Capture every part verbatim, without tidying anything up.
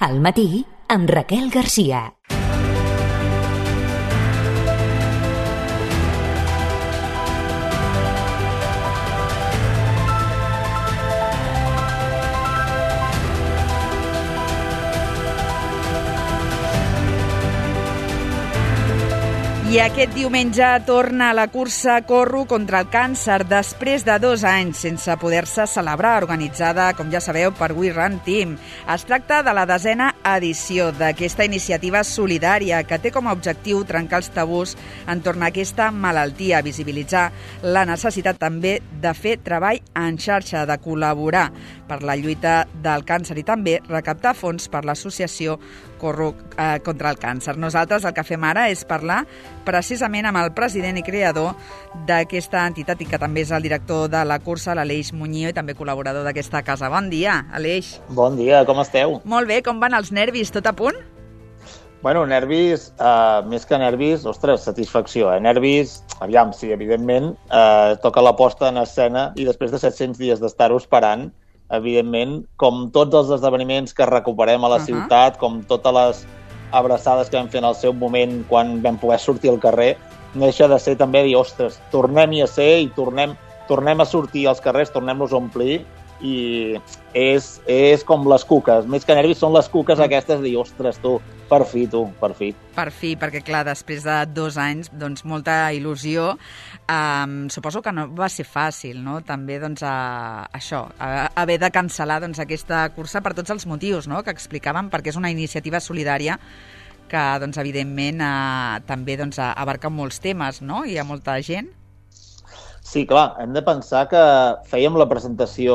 Al matí, amb Raquel Garcia. I aquest diumenge torna a la cursa Corro contra el càncer després de dos anys sense poder-se celebrar, organitzada, com ja sabeu, per We Run Team. Es tracta de la desena edició d'aquesta iniciativa solidària que té com a objectiu trencar els tabús entorn a aquesta malaltia, visibilitzar la necessitat també de fer treball en xarxa, de col·laborar per la lluita del càncer i també recaptar fons per l'associació Corro eh, contra el càncer. Nosaltres el que fem ara és parlar precisament amb el president i creador d'aquesta entitat i que també és el director de la cursa, l'Aleix Muñoz, i també col·laborador d'aquesta casa. Bon dia, Aleix. Bon dia, com esteu? Molt bé, com van els nervis? Tot a punt? Bueno, nervis, eh, més que nervis, ostres, satisfacció, eh? Nervis, aviam, sí, evidentment, eh, toca la posta en escena i després de set-cents dies d'estar-ho esperant, evidentment, com tots els esdeveniments que recuperem a la uh-huh. ciutat, com totes les abraçades que vam fer en el seu moment quan vam poder sortir al carrer, no deixa de ser també dir, ostres, tornem-hi a ser i tornem, tornem a sortir als carrers, tornem-los a omplir, i és, és com les cuques, més que nervis són les cuques aquestes de dir, ostres, tu, per fi, tu, per fi. Per fi, perquè clar, després de dos anys, doncs molta il·lusió, um, suposo que no va ser fàcil, no?, també, doncs, a, això, a, haver de cancel·lar, doncs, aquesta cursa per tots els motius, no?, que explicàvem, perquè és una iniciativa solidària que, doncs, evidentment, eh, també, doncs, abarca molts temes, no?, i hi ha molta gent. Sí, clar, hem de pensar que fèiem la presentació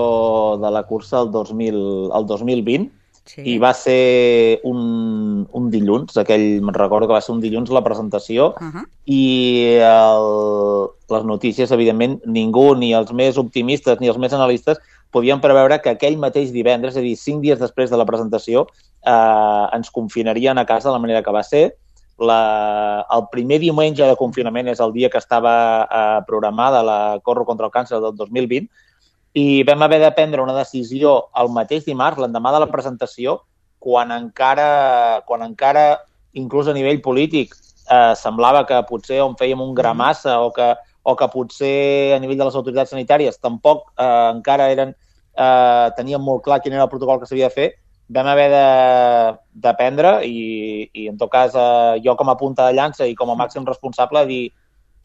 de la cursa el dos mil, el dos mil vint sí. i va ser un, un dilluns, aquell, me'n recordo que va ser un dilluns la presentació uh-huh. i el, les notícies, evidentment, ningú, ni els més optimistes ni els més analistes, podien preveure que aquell mateix divendres, és a dir, cinc dies després de la presentació, eh, ens confinarien a casa de la manera que va ser. La, el primer diumenge de confinament és el dia que estava eh, programada la Corro contra el càncer del dos mil vint i vam haver de prendre una decisió el mateix dimarts, l'endemà de la presentació, quan encara, quan encara inclús a nivell polític, eh, semblava que potser on fèiem un gra massa o que, o que potser a nivell de les autoritats sanitàries tampoc eh, encara eren, eh, tenien molt clar quin era el protocol que s'havia de fer. Vam haver de, de prendre i, i en tot cas eh, jo com a punta de llança i com a màxim responsable dir,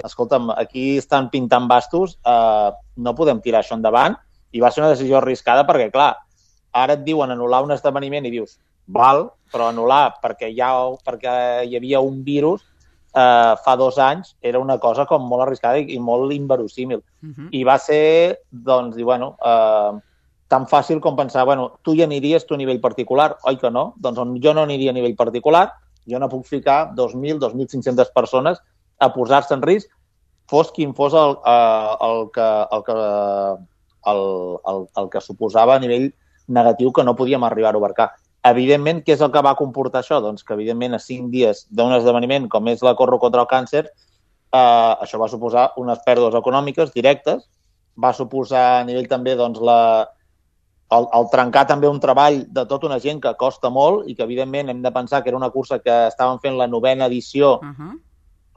escolta'm, aquí estan pintant bastos, eh, no podem tirar això endavant, i va ser una decisió arriscada perquè, clar, ara et diuen anul·lar un esdeveniment i dius, val, però anul·lar perquè, ja, perquè hi havia un virus eh, fa dos anys era una cosa com molt arriscada i, i molt inverosímil. Uh-huh. I va ser, doncs, dir, bueno... Eh, tan fàcil com pensar, bueno, tu hi aniries tu a nivell particular, oi que no? Doncs on jo no aniria a nivell particular, jo no puc ficar dos mil, dos mil cinc-centes persones a posar-se en risc, fos quin fos el, el, que, el, que, el, el, el que suposava a nivell negatiu que no podíem arribar a abarcar. Evidentment, què és el que va comportar això? Doncs que, evidentment, a cinc dies d'un esdeveniment com és la Corro contra el càncer, eh, això va suposar unes pèrdues econòmiques directes, va suposar a nivell també, doncs, la El, el trencar també un treball de tota una gent que costa molt i que, evidentment, hem de pensar que era una cursa que estàvem fent la novena edició. Uh-huh.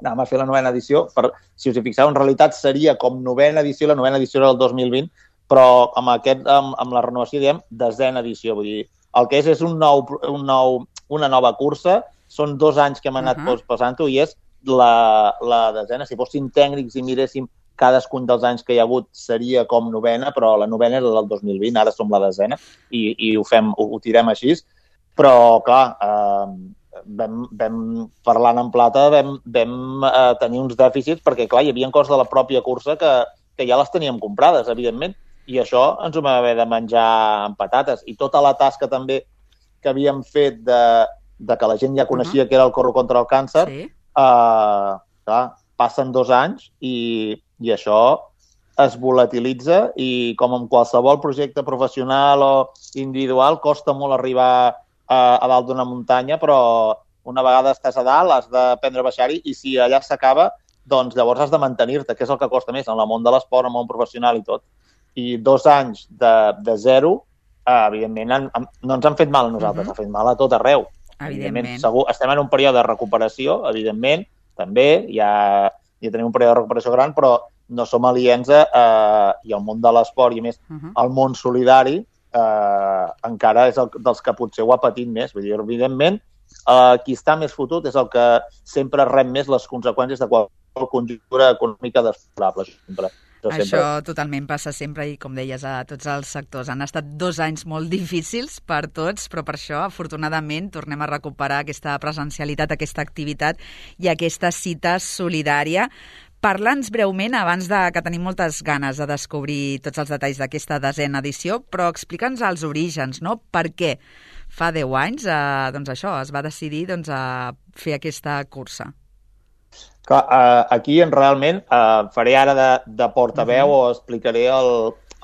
Anàvem a fer la novena edició. Per, si us hi fixeu, en realitat seria com novena edició, la novena edició era el dos mil vint, però amb, aquest, amb, amb la renovació, diem, desena edició. Vull dir, el que és és un nou, un nou, una nova cursa, són dos anys que hem anat uh-huh. passant-ho i és la, la desena. Si fóssim tècnics i miréssim cadascun dels anys que hi ha hagut seria com novena, però la novena era del dos mil vint, ara som la desena i, i ho, fem, ho, ho tirem així. Però, clar, eh, vam, vam parlant en plata, vam, vam eh, tenir uns dèficits perquè, clar, hi havia coses de la pròpia cursa que, que ja les teníem comprades, evidentment, i això ens ho vam haver de menjar amb patates. I tota la tasca també que havíem fet de, de que la gent ja coneixia uh-huh. que era el Corro contra el càncer, sí. eh, clar, passen dos anys i, i això es volatilitza i com en qualsevol projecte professional o individual costa molt arribar a, a dalt d'una muntanya, però una vegada estàs a dalt has d'aprendre a baixar-hi i si allà s'acaba, doncs llavors has de mantenir-te, que és el que costa més en el món de l'esport, en el món professional i tot. I dos anys de, de zero uh, evidentment, han, han, no ens han fet mal a nosaltres, uh-huh. ha fet mal a tot arreu. Evidentment. evidentment segur, estem en un període de recuperació, evidentment, també, ja, ja tenim un període de recuperació gran, però no som aliens a, uh, i el món de l'esport i, a més, uh-huh. el món solidari uh, encara és el dels que potser ho ha patit més. Vull dir, evidentment, uh, qui està més fotut és el que sempre rep més les conseqüències de qualsevol conjuntura econòmica desfavorable. Sempre. Això sempre... totalment passa sempre i, com deies, a tots els sectors. Han estat dos anys molt difícils per tots, però per això, afortunadament, tornem a recuperar aquesta presencialitat, aquesta activitat i aquesta cita solidària. Parla'ns breument, abans de que tenim moltes ganes de descobrir tots els detalls d'aquesta desena edició, però explica'ns els orígens, no? Per què fa deu anys eh, doncs això, es va decidir doncs, a fer aquesta cursa? Clar, uh, aquí realment uh, faré ara de, de portaveu uh-huh. o explicaré el,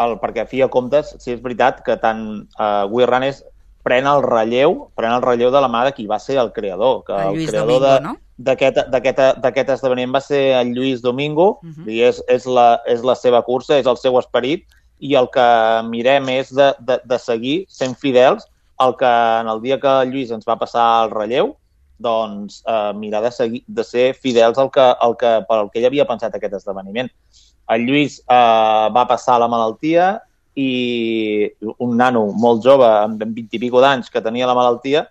el perquè a fi de comptes, si és veritat que tant uh, We Runners pren el relleu, pren el relleu de la mà de qui va ser el creador. Que el Lluís el creador Domingo, de, no? D'aquest esdeveniment va ser el Lluís Domingo, uh-huh. i és, és, la, és la seva cursa, és el seu esperit, i el que mirem és de, de, de seguir sent fidels al que en el dia que el Lluís ens va passar el relleu, doncs eh, mirar de, seguir, de ser fidels al que, al que, pel que ell havia pensat aquest esdeveniment. El Lluís eh, va passar la malaltia i un nano molt jove, amb vint i pico d'anys, que tenia la malaltia,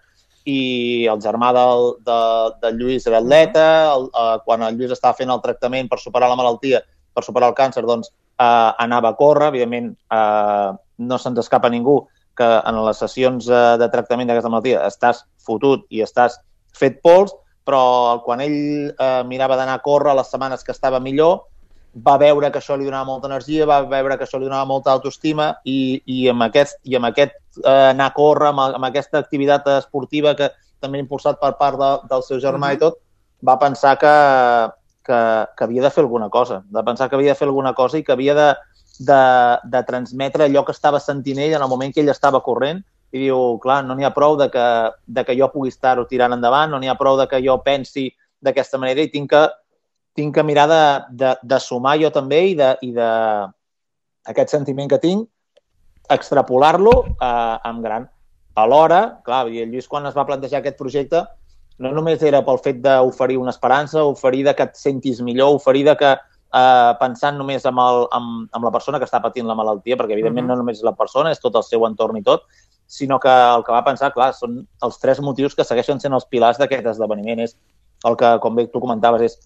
i el germà del, de, del Lluís era atleta, el, eh, quan el Lluís estava fent el tractament per superar la malaltia, per superar el càncer, doncs eh, anava a córrer. Evidentment, eh, no se'ns escapa ningú que en les sessions eh, de tractament d'aquesta malaltia estàs fotut i estàs fet pols, però quan ell eh, mirava d'anar a córrer les setmanes que estava millor, va veure que això li donava molta energia, va veure que això li donava molta autoestima i, i amb aquest, i amb aquest eh, anar a córrer, amb, amb aquesta activitat esportiva que també impulsat per part de, del seu germà uh-huh. i tot, va pensar que, que, que havia de fer alguna cosa, de pensar que havia de fer alguna cosa i que havia de, de, de transmetre allò que estava sentint ell en el moment que ell estava corrent. I diu, clar, no n'hi ha prou de que, de que jo pugui estar-ho tirant endavant, no n'hi ha prou de que jo pensi d'aquesta manera i tinc que, tinc que mirar de, de, de sumar jo també i de, i de aquest sentiment que tinc, extrapolar-lo eh, en gran. Alhora, clar, el Lluís quan es va plantejar aquest projecte no només era pel fet d'oferir una esperança, oferir de que et sentis millor, oferir de que eh, pensant només amb, el, amb, amb la persona que està patint la malaltia, perquè evidentment uh-huh. no només és la persona, és tot el seu entorn i tot, sinó que el que va pensar, clar, són els tres motius que segueixen sent els pilars d'aquest esdeveniment. És el que, com bé tu comentaves, és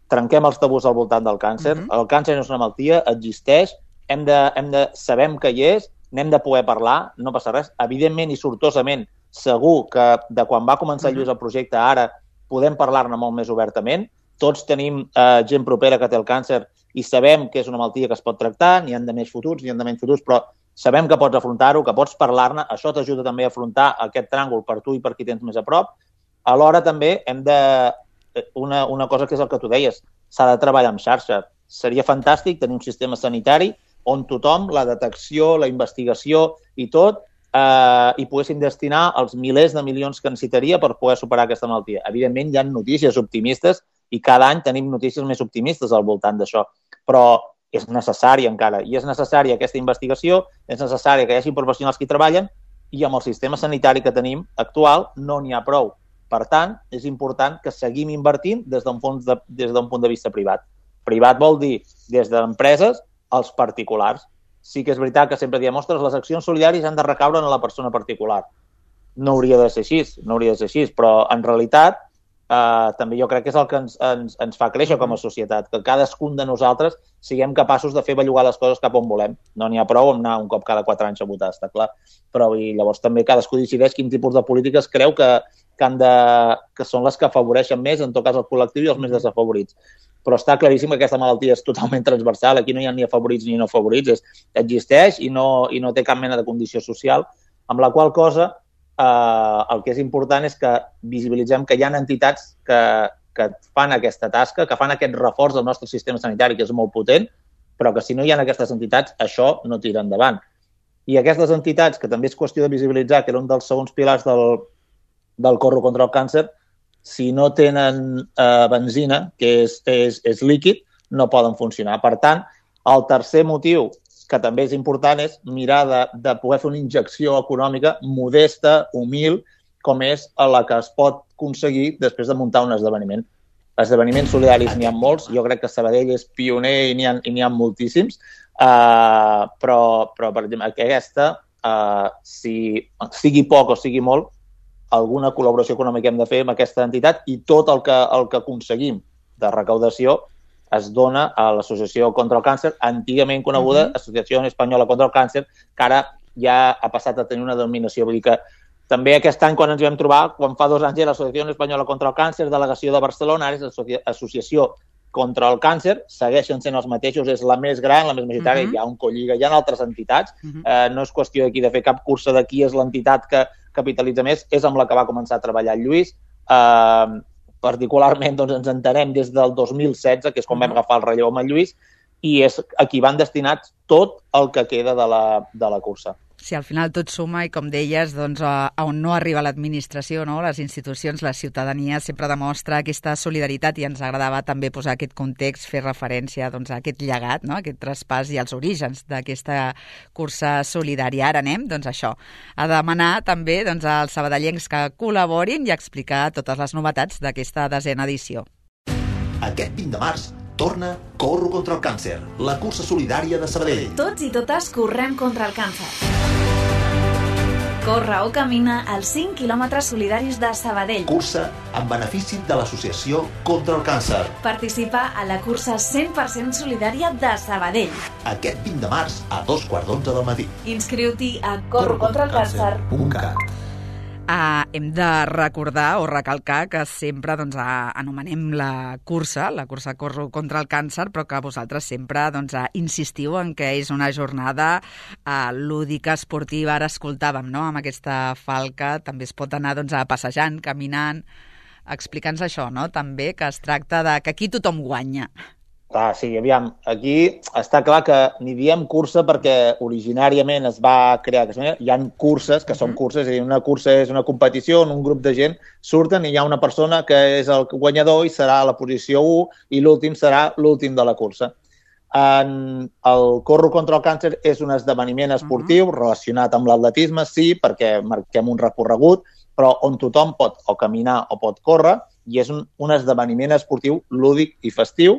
trenquem els tabús al voltant del càncer. Uh-huh. El càncer no és una malaltia, existeix, hem de, hem de sabem que hi és, n'hem de poder parlar, no passa res. Evidentment i sortosament, segur que de quan va començar uh-huh. Lluís el projecte ara podem parlar-ne molt més obertament. Tots tenim eh, gent propera que té el càncer i sabem que és una malaltia que es pot tractar, n'hi han de més fotuts, n'hi han de menys fotuts, però sabem que pots afrontar-ho, que pots parlar-ne, això t'ajuda també a afrontar aquest tràngol per tu i per qui tens més a prop. Alhora també hem de... Una, una cosa que és el que tu deies, s'ha de treballar en xarxa. Seria fantàstic tenir un sistema sanitari on tothom, la detecció, la investigació i tot, eh, hi poguessin destinar els milers de milions que necessitaria per poder superar aquesta malaltia. Evidentment, hi ha notícies optimistes i cada any tenim notícies més optimistes al voltant d'això, però és necessari encara, i és necessària aquesta investigació, és necessari que hi hagi professionals que hi treballen, i amb el sistema sanitari que tenim actual no n'hi ha prou. Per tant, és important que seguim invertint des d'un punt de, des d'un punt de vista privat. Privat vol dir des d'empreses als particulars. Sí que és veritat que sempre diem, ostres, les accions solidàries han de recaure en la persona particular. No hauria de ser així, no hauria de ser així, però en realitat Uh, també jo crec que és el que ens, ens, ens fa créixer com a societat, que cadascun de nosaltres siguem capaços de fer bellugar les coses cap on volem. No n'hi ha prou amb anar un cop cada quatre anys a votar, està clar. Però i llavors també cadascú decideix quin tipus de polítiques creu que, que, han de, que són les que afavoreixen més, en tot cas el col·lectiu i els més desafavorits. Però està claríssim que aquesta malaltia és totalment transversal, aquí no hi ha ni afavorits ni no afavorits, és, existeix i no, i no té cap mena de condició social, amb la qual cosa Uh, el que és important és que visibilitzem que hi ha entitats que, que fan aquesta tasca, que fan aquest reforç del nostre sistema sanitari, que és molt potent, però que si no hi ha aquestes entitats, això no tira endavant. I aquestes entitats, que també és qüestió de visibilitzar, que era un dels segons pilars del, del Corro contra el càncer, si no tenen uh, benzina, que és, és, és líquid, no poden funcionar. Per tant, el tercer motiu que també és important, és mirar de, de poder fer una injecció econòmica modesta, humil, com és la que es pot aconseguir després de muntar un esdeveniment. Esdeveniments solidaris n'hi ha molts, jo crec que Sabadell és pioner i n'hi ha, i n'hi ha moltíssims, uh, però, però, per exemple, aquesta, uh, si sigui poc o sigui molt, alguna col·laboració econòmica hem de fer amb aquesta entitat i tot el que, el que aconseguim de recaudació es dona a l'Associació contra el Càncer, antigament coneguda uh-huh. Associació Espanyola contra el Càncer, que ara ja ha passat a tenir una denominació. Vull dir que també aquest any, quan ens vam trobar, quan fa dos anys era l'Associació Espanyola contra el Càncer, delegació de Barcelona, ara és l'Associació contra el Càncer, segueixen sent els mateixos, és la més gran, la més majoritària, uh-huh. hi ha un Colliga, hi ha altres entitats, uh-huh. eh, no és qüestió d'aquí de fer cap cursa de qui és l'entitat que capitalitza més, és amb la que va començar a treballar el Lluís, eh, particularment doncs, ens entenem des del dos mil setze, que és quan vam agafar el relleu amb el Lluís, i és a qui van destinats tot el que queda de la, de la cursa. Sí, al final tot suma i, com deies, doncs, a, a on no arriba l'administració, no? Les institucions, la ciutadania sempre demostra aquesta solidaritat i ens agradava també posar aquest context, fer referència doncs, a aquest llegat, no? Aquest traspàs i els orígens d'aquesta cursa solidària. Ara anem, doncs això, a demanar també doncs, als sabadellencs que col·laborin i explicar totes les novetats d'aquesta desena edició. Aquest vint de març torna Corro contra el càncer, la cursa solidària de Sabadell. Tots i totes correm contra el càncer. Corre o camina als cinc quilòmetres solidaris de Sabadell. Cursa en benefici de l'Associació contra el Càncer. Participa a la cursa cent per cent solidària de Sabadell. Aquest vint de març a dos quarts d'onze del matí. Inscriu-t'hi a corro contra el càncer punt cat. Uh, hem de recordar o recalcar que sempre doncs, uh, anomenem la cursa, la cursa Corro contra el càncer, però que vosaltres sempre doncs, uh, insistiu en que és una jornada uh, lúdica, esportiva. Ara escoltàvem, no?, amb aquesta falca, també es pot anar doncs, a passejant, caminant. Explica'ns això, no?, també, que es tracta de que aquí tothom guanya. Ah, sí, aviam, aquí està clar que n'hi diem cursa perquè originàriament es va crear aquesta manera. Hi ha curses que són curses, és a dir, una cursa és una competició on un grup de gent surten i hi ha una persona que és el guanyador i serà a la posició u i l'últim serà l'últim de la cursa. En el Corro contra el càncer és un esdeveniment esportiu uh-huh. relacionat amb l'atletisme, sí, perquè marquem un recorregut, però on tothom pot o caminar o pot córrer, i és un, un esdeveniment esportiu lúdic i festiu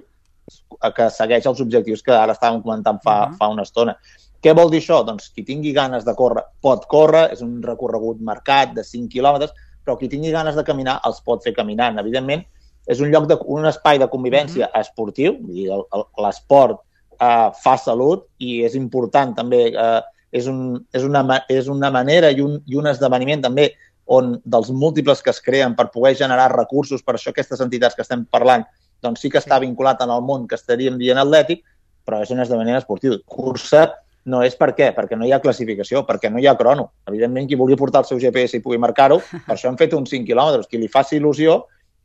que segueix els objectius que ara estàvem comentant fa, uh-huh. fa una estona. Què vol dir això? Doncs qui tingui ganes de córrer pot córrer, és un recorregut marcat de cinc quilòmetres, però qui tingui ganes de caminar els pot fer caminant. Evidentment, és un lloc de, un espai de convivència uh-huh. esportiu, vull dir, l'esport eh, fa salut i és important també, eh, és, un, és, una, és una manera i un, i un esdeveniment també on dels múltiples que es creen per poder generar recursos, per això aquestes entitats que estem parlant doncs sí que està vinculat en el món que estaríem dient atlètic, però és un esdeveniment esportiu. Cursa no és per què? Perquè no hi ha classificació, perquè no hi ha crono. Evidentment, qui vulgui portar el seu G P S i pugui marcar-ho, per això hem fet uns cinc quilòmetres, qui li faci il·lusió,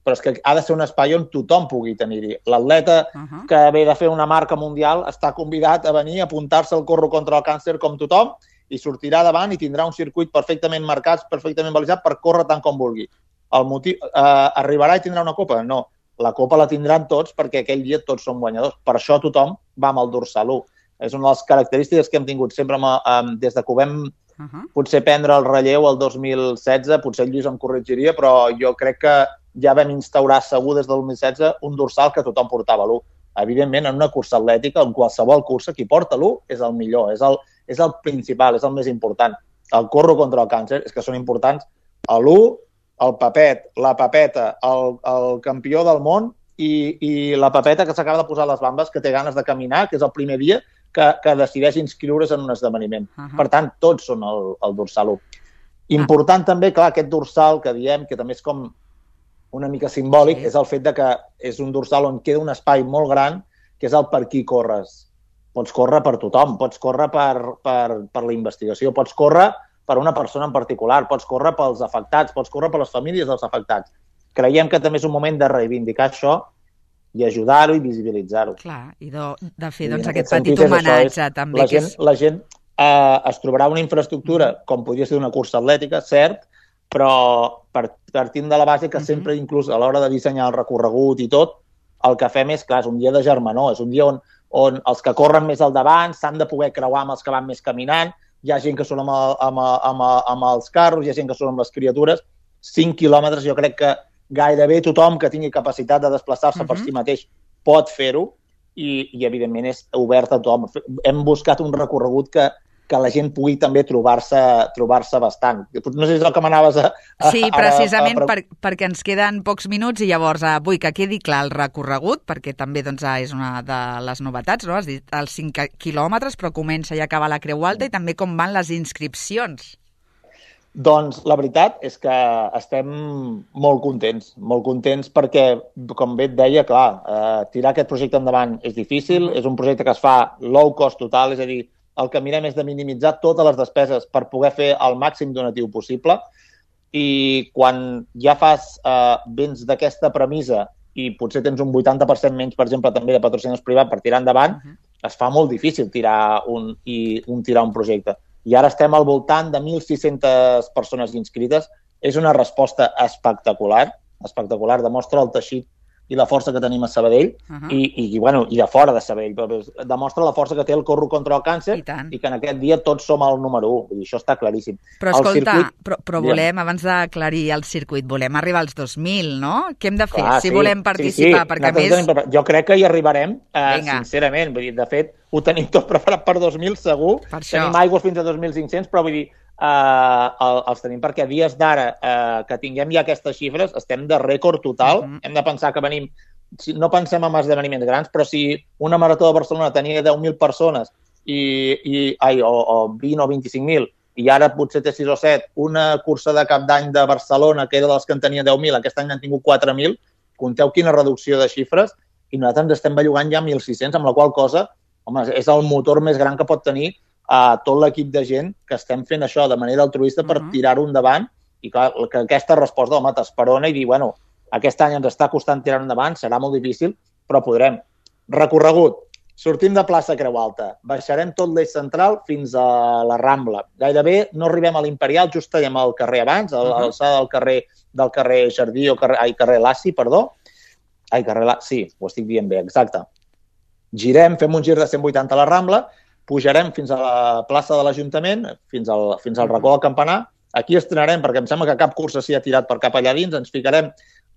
però és que ha de ser un espai on tothom pugui tenir-hi. L'atleta uh-huh. que ve de fer una marca mundial està convidat a venir a apuntar-se al Corro contra el càncer com tothom i sortirà davant i tindrà un circuit perfectament marcat, perfectament balisat per córrer tant com vulgui. El motiu, eh, arribarà i tindrà una copa? No. La copa la tindran tots perquè aquell dia tots som guanyadors. Per això tothom va amb el dorsal u. És una de les característiques que hem tingut sempre amb, amb, des de que ho vam uh-huh. potser prendre el relleu el dos mil setze, potser el Lluís em corregiria, però jo crec que ja vam instaurar segur des del dos mil setze un dorsal que tothom portava l'u. Evidentment, en una cursa atlètica, en qualsevol cursa, qui porta l'u és el millor, és el, és el principal, és el més important. El Corro contra el càncer és que són importants l'u, el Pepet, la Pepeta, el, el campió del món i, i la Pepeta que s'acaba de posar les bambes, que té ganes de caminar, que és el primer dia que, que decideix inscriure's en un esdeveniment. Uh-huh. Per tant, tots són el, el dorsal u. Important uh-huh. també, clar, aquest dorsal que diem, que també és com una mica simbòlic, sí. és el fet de que és un dorsal on queda un espai molt gran, que és el per qui corres. Pots córrer per tothom, pots córrer per, per, per la investigació, pots córrer per una persona en particular, pots córrer pels afectats, pots córrer per les famílies dels afectats. Creiem que també és un moment de reivindicar això i ajudar-ho i visibilitzar-ho. Clar, i de, de fer doncs, aquest petit homenatge això, també. La que gent, és... la gent eh, es trobarà una infraestructura, mm. com podria ser una cursa atlètica, cert, però partint de la base que mm-hmm. sempre, inclús a l'hora de dissenyar el recorregut i tot, el que fem és, clar, és un dia de germanor, és un dia on, on els que corren més al davant s'han de poder creuar amb els que van més caminant, hi ha gent que són amb, el, amb, amb, amb els carros, hi ha gent que són amb les criatures. cinc quilòmetres, jo crec que gairebé tothom que tingui capacitat de desplaçar-se uh-huh. per si mateix pot fer-ho i, i evidentment, és obert a tothom. Hem buscat un recorregut que, que la gent pugui també trobar-se trobar-se bastant. No sé si és el que m'anaves a, a... Sí, precisament a, a... Per, perquè ens queden pocs minuts i llavors eh, vull que quedi clar el recorregut, perquè també doncs, és una de les novetats, no? Has dit els cinc quilòmetres, però comença i acaba la Creu Alta, i també com van les inscripcions. Doncs la veritat és que estem molt contents, molt contents perquè, com bé et deia, clar, eh, tirar aquest projecte endavant és difícil, és un projecte que es fa low cost total, és a dir, el que mirem és de minimitzar totes les despeses per poder fer el màxim donatiu possible, i quan ja fas eh, vens d'aquesta premissa i potser tens un vuitanta per cent menys, per exemple, també de patrocinadors privats per tirar endavant, uh-huh. es fa molt difícil tirar un, i, un, tirar un projecte. I ara estem al voltant de mil sis-centes persones inscrites. És una resposta espectacular, espectacular, demostra el teixit i la força que tenim a Sabadell, uh-huh. i, i, bueno, i de fora de Sabadell, però demostra la força que té el Corro contra el Càncer i, i que en aquest dia tots som el número u, i això està claríssim. Però escolta, circuit... però, però volem, abans d'aclarir el circuit, volem arribar als dos mil, no? Què hem de fer Clar, si sí, volem participar? Sí, sí. Perquè més... tenim... Jo crec que hi arribarem, eh, sincerament, vull dir, de fet, ho tenim tot preparat per dos mil segur, per tenim aigües fins a dos mil cinc-cents, però vull dir, eh, els tenim perquè a dies d'ara eh, que tinguem ja aquestes xifres, estem de rècord total, uh-huh. hem de pensar que venim, si, no pensem en esdeveniments grans, però si una marató de Barcelona tenia deu mil persones i, i, ai, o, o vint o vint-i-cinc mil, i ara potser té sis o set, una cursa de cap d'any de Barcelona, que era de les que en tenia deu mil, aquest any n'han tingut quatre mil, compteu quina reducció de xifres, i nosaltres ens estem bellugant ja mil sis-cents, amb la qual cosa, home, és el motor més gran que pot tenir a tot l'equip de gent que estem fent això de manera altruista per uh-huh. tirar-ho endavant, i clar, que aquesta resposta, home, t'esperona i dir, bueno, aquest any ens està costant tirar endavant, serà molt difícil, però podrem. Recorregut. Sortim de plaça Creu Alta, baixarem tot l'eix central fins a la Rambla. Gairebé no arribem a l'Imperial, just tenim el carrer abans, a l'alçada del carrer del carrer Jardí, o carrer, ai, carrer Lassi, perdó. Ai, carrer Lassi, sí, ho estic dient bé, exacte. Girem, fem un gir de cent vuitanta a la Rambla, pujarem fins a la plaça de l'Ajuntament, fins al, fins al racó del Campanar. Aquí estrenarem, perquè em sembla que cap cursa s'hi ha tirat per cap allà dins, ens ficarem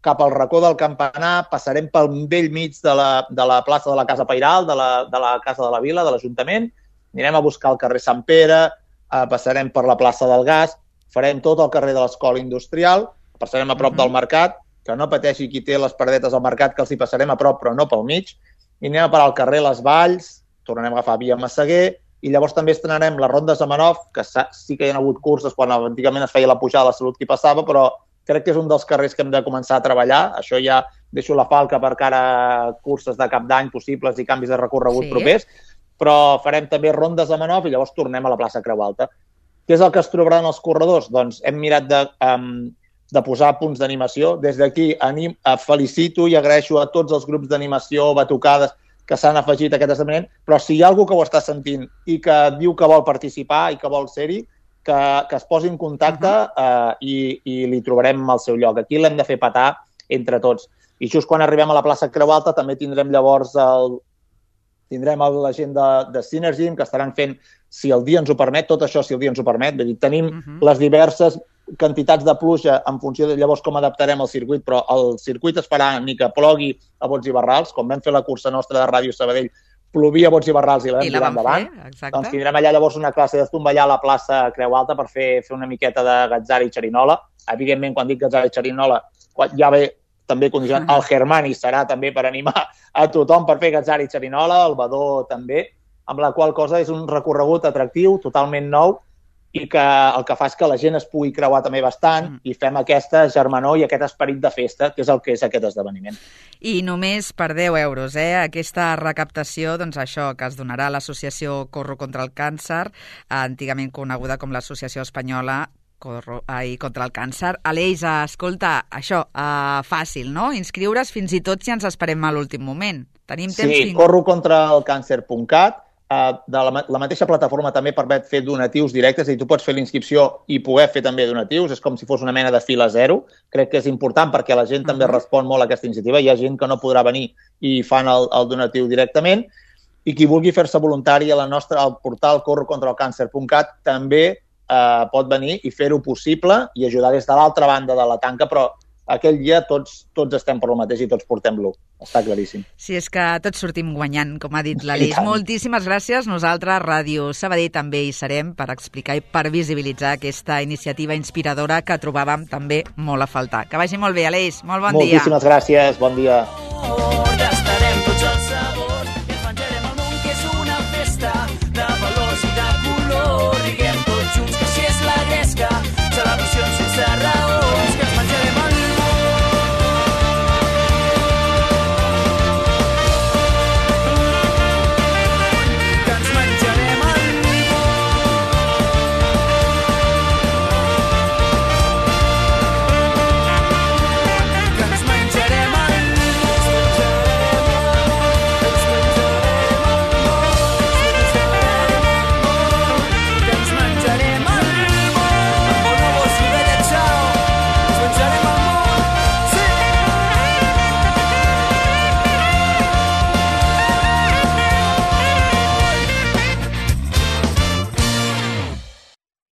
cap al racó del Campanar, passarem pel vell mig de la, de la plaça de la Casa Pairal, de la, de la Casa de la Vila, de l'Ajuntament, anirem a buscar el carrer Sant Pere, eh, passarem per la plaça del Gas, farem tot el carrer de l'Escola Industrial, passarem a prop mm-hmm. del Mercat, que no pateixi qui té les paradetes al Mercat, que els hi passarem a prop, però no pel mig, i anem a parar al carrer Les Valls, tornarem a agafar via Massaguer, i llavors també estrenarem les rondes de Manov, que sí que hi ha hagut curses quan antigament es feia la pujada de la Salut qui passava, però crec que és un dels carrers que hem de començar a treballar. Això ja deixo la falca per cara a curses de cap d'any possibles i canvis de recorregut sí. propers, però farem també rondes de Manov i llavors tornem a la plaça Creu Alta. Què és el que es trobaran els corredors? Doncs hem mirat de, um, de posar punts d'animació. Des d'aquí anim, felicito i agraeixo a tots els grups d'animació, batucades, que s'han afegit a aquest esdeveniment, però si hi ha algú que ho està sentint i que diu que vol participar i que vol ser-hi, que, que es posi en contacte uh, i, i li trobarem al seu lloc. Aquí l'hem de fer petar entre tots. I just quan arribem a la plaça Creu Alta també tindrem llavors el, tindrem la gent de, de Synergy, que estaran fent, si el dia ens ho permet, tot això si el dia ens ho permet. Vull dir, tenim uh-huh. les diverses quantitats de pluja en funció de llavors com adaptarem el circuit, però el circuit es farà ni que plogui a bots i barrals, com vam fer la cursa nostra de Ràdio Sabadell, plovia a bots i barrals i la vam tirar endavant. Fer, doncs tindrem allà llavors una classe d'estomballar a la plaça Creu Alta per fer, fer una miqueta de gatzara i xerinola. Evidentment, quan dic gatzara i xerinola, ja ve també condicionat. Uh-huh. El Germani serà també per animar a tothom per fer gatzara i xerinola, el Badó també, amb la qual cosa és un recorregut atractiu, totalment nou, i que el que fa és que la gent es pugui creuar també bastant mm. i fem aquesta germanor i aquest esperit de festa, que és el que és aquest esdeveniment. I només per deu euros, eh? Aquesta recaptació, doncs això, que es donarà a l'associació Corro contra el Càncer, antigament coneguda com l'Associació Espanyola Corro, ai, contra el Càncer. Aleix, escolta, això, uh, fàcil, no? Inscriure's fins i tot si ens esperem a l'últim moment. Tenim temps sí, fins... corro contra el càncer punt cat. Uh, de la, la mateixa plataforma també permet fer donatius directes, és a dir, tu pots fer l'inscripció i poder fer també donatius, és com si fos una mena de fila zero. Crec que és important perquè la gent uh-huh. també respon molt a aquesta iniciativa, hi ha gent que no podrà venir i fan el, el donatiu directament. i qui vulgui fer-se voluntari a la nostra, al portal corro contra el càncer punt cat també eh, pot venir i fer-ho possible i ajudar des de l'altra banda de la tanca, però aquell dia tots, tots estem per lo mateix i tots portem-lo. Està claríssim. Sí, és que tots sortim guanyant, com ha dit l'Aleix. Moltíssimes gràcies. Nosaltres, Ràdio Sabadell, també hi serem per explicar i per visibilitzar aquesta iniciativa inspiradora que trobàvem també molt a faltar. Que vagi molt bé, Aleix. Molt bon dia. Moltíssimes gràcies. Bon dia.